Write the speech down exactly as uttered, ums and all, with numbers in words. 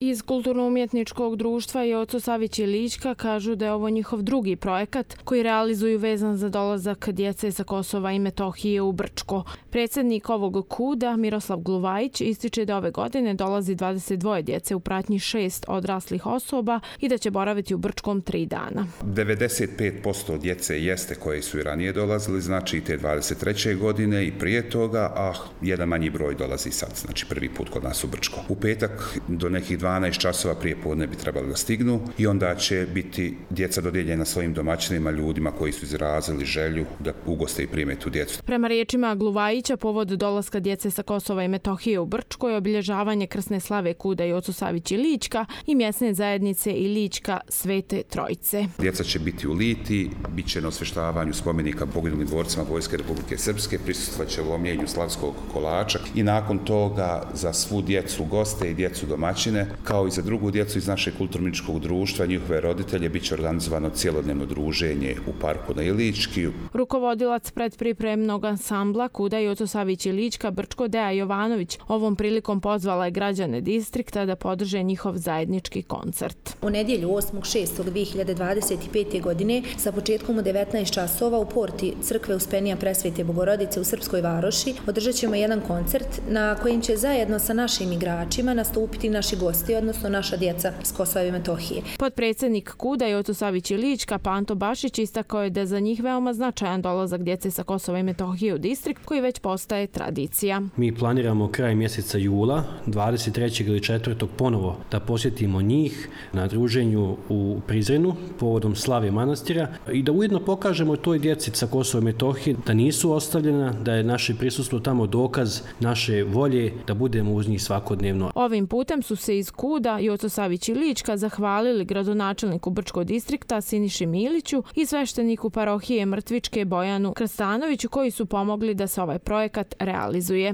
Iz Kulturno-umjetničkog društva Joco Savić i Lička kažu da je ovo njihov drugi projekat koji realizuju vezan za dolazak djece sa Kosova i Metohije u Brčko. Predsjednik ovog kuda, Miroslav Gluvajić, ističe da ove godine dolazi dvadeset dvoje djece u pratnji šest odraslih osoba i da će boraviti u Brčkom tri dana. devedeset pet posto djece jeste koje su i ranije dolazili, znači i te dvadeset treće godine i prije toga, a jedan manji broj dolazi sad, znači prvi put kod nas u Brčko. U petak do nekih dvanaest časova prije podne bi trebali da stignu i onda će biti djeca dodijeljena svojim domaćinima, ljudima koji su izrazili želju da ugoste i prime tu djecu. Prema riječima Gluvajića, povod dolaska djece sa Kosova i Metohije u Brčko je obilježavanje krsne slave kuda Joco Savić i Lička i mjesne zajednice i Lička Svete Trojice. Djeca će biti u Liti, bit će na osveštavanju spomenika poginulim dvorcima Vojske Republike Srpske, prisustvovat će lomljenju slavskog kolača i nakon toga za svu djecu goste i djecu domaćine, kao i za drugu djecu iz našeg kulturno-umjetničkog društva, njihove roditelje, bit će organizovano cjelodnevno druženje u parku na Ilički. Rukovodilac predpripremnog ansambla kuda Joco Savić i Lička Brčko Deja Jovanović ovom prilikom pozvala je građane distrikta da podrže njihov zajednički koncert. U nedjelju osmog šestog dvije hiljade dvadeset pete. godine sa početkom u devetnaest časova u porti crkve Uspenija Presvete Bogorodice u Srpskoj Varoši održat ćemo jedan koncert na kojim će zajedno sa našim igračima nastupiti naši gosti, odnosno naša djeca s Kosova i Metohije. Potpredsjednik kuda Joco Savić i Lička Panto Bašić istakao je da je za njih veoma značajan dolazak djece sa Kosova i Metohije u distrikt koji već postaje tradicija. Mi planiramo kraj mjeseca jula, dvadeset trećeg ili četvrtog ponovo da posjetimo njih na druženju u Prizrenu povodom slave manastira i da ujedno pokažemo toj djeci sa Kosova i Metohije da nisu ostavljena, da je naše prisustvo tamo dokaz naše volje da budemo uz njih svakodnevno. Ovim putem su se iz kuda Joco Savić i Lička zahvalili gradonačelniku Brčkog distrikta Siniši Miliću i svešteniku parohije Mrtvičke Bojanu Krstanoviću koji su pomogli da se ovaj projekat realizuje.